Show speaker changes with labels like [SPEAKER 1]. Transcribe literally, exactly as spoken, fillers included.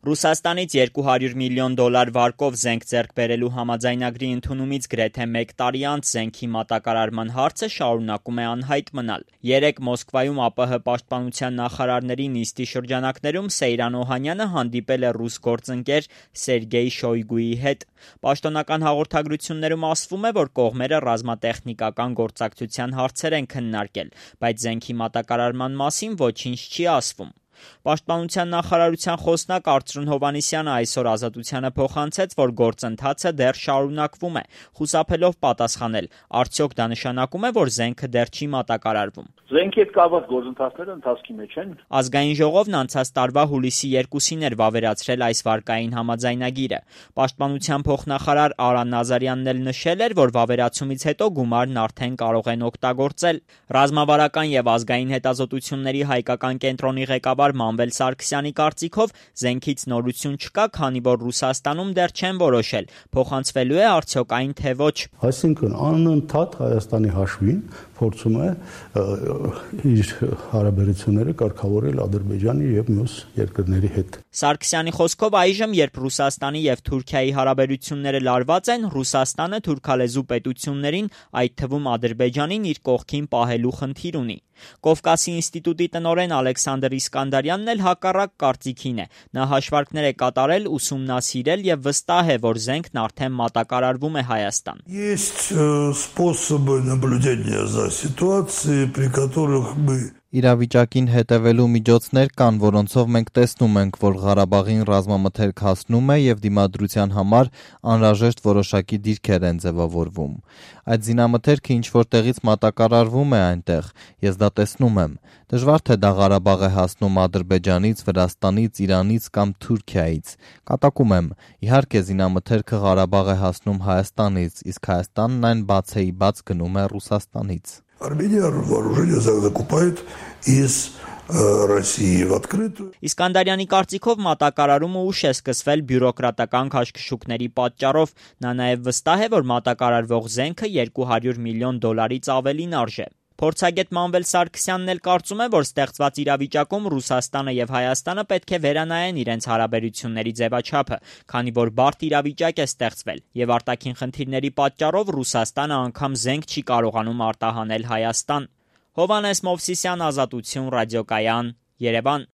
[SPEAKER 1] Ռուսաստանից երկու հարյուր միլիոն դոլար վարկով զենք ձեռք բերելու համաձայնագրի ընդունումից գրեթե մեկ տարի անց զենքի մատակարարման հարցը շարունակում է անհայտ մնալ։ Երեկ Մոսկվայում ԱՊՀ պաշտպանության նախարարների նիստի շրջանակներում Սեյրան Օհանյանը հանդիպել է ռուս գործընկեր Սերգեյ Շոյգուի հետ։ Պաշտոնական հաղորդագրություններում ասվում է, որ կողմերը ռազմատեխնիկական գործակցության հարցեր են քննարկել, բայց զենքի մատակարարման մասին ոչինչ չի ասվում։ Պաշտպանության նախարարության խոսնակ Արծրուն Հովհաննիսյանը այսօր Ազատությանը փոխանցեց, որ գործընթացը դեռ շարունակվում է, խուսափելով պատասխանել, արդյոք դա նշանակում է, որ զենքը դեռ չի մատակարարվում։
[SPEAKER 2] Զենքի հետ կապված գործընթացները ընթացքի մեջ են։
[SPEAKER 1] Ազգային ժողովն անցած տարվա հուլիսի երկուսին էր վավերացրել այս վարկային համաձայնագիրը։ Պաշտպանության փոխնախարար Արա Նազարյանն էլ նշել էր, որ վավերացումից հետո գումարն արդեն կարող են օգտագործել։ Ռազմավարական եւ ազգային հետազոտությունների հայկական կենտրոնի ղեկավար Մանվել Սարգսյանի կարծիքով զենքից նորություն չկա, քանի որ Ռուսաստանում դեռ չեն որոշել, փոխանցվելու է արդյոք այն թե ոչ։
[SPEAKER 3] Այսինքն անընդհատ Հայաստանի հաշվին փորձում է իր հարաբերությունները կարգավորել Ադրբեջանի եւ մյուս երկրների հետ։
[SPEAKER 1] Սարգսյանի խոսքով այժմ, երբ Ռուսաստանի եւ Թուրքիայի հարաբերությունները լարված են, Ռուսաստանը թուրքալեզու պետություններին, այդ թվում Ադրբեջանին, իր կողքին պահելու խնդիր ունի։ Կովկասի ինստիտուտի տնօրեն Ալեքսանդր Իսկանդարյանն էլ հակառակ կարծիքին է։ Նա հաշվարկներ է կատարել, ուսումնասիրել եւ վստահ է, որ զենքն արդեն մատակարարվում է Հայաստան։
[SPEAKER 4] Есть способы наблюдения за ситуацией, при которых мы
[SPEAKER 5] Իրավիճակին հետևելու միջոցներ կան, որոնցով մենք տեսնում ենք, որ Ղարաբաղին ռազմամթերք հասնում է եւ դիմադրության համար անհրաժեշտ որոշակի դիրքեր են ձևավորվում։ Այդ զինամթերքը ինչ որտեղից մատակարարվում է այնտեղ, ես դա տեսնում եմ։ Դժվար թե դա Ղարաբաղ է հասնում Ադրբեջանից, Վրաստանից, Իրանից կամ Թուրքիայից։ Կատակում եմ, իհարկե զինամթերքը Ղարաբաղ է հասնում Հայաստանից, իսկ Հայաստանն այն բացեի բաց գնում է Ռուսաստանից։
[SPEAKER 4] Армения вооружение закупает из России в открытую։
[SPEAKER 1] Իսկանդարյանի կարծիքով մատակարարումը ուշ է սկսվել բյուրոկրատական քաշքշուկների պատճառով։ Նա նաև վստահ է, որ մատակարարվող զենքը երկու հարյուր միլիոն դոլարից ավելին արժե։ Փորձագետ Մանվել Սարգսյանն էլ կարծում է, որ ստեղծված իրավիճակում Ռուսաստանը եւ Հայաստանը պետք է վերանայեն իրենց հարաբերությունների ձևաչափը, քանի որ բարդ իրավիճակ է ստեղծվել եւ արտաքին խնդիրների պատճառով Ռուսաստանը անգամ զենք չի կարողանում արտահանել Հայաստան։ Հովհաննես Մովսիսյան, Ազատություն, Ռադիոկայան, Երևան։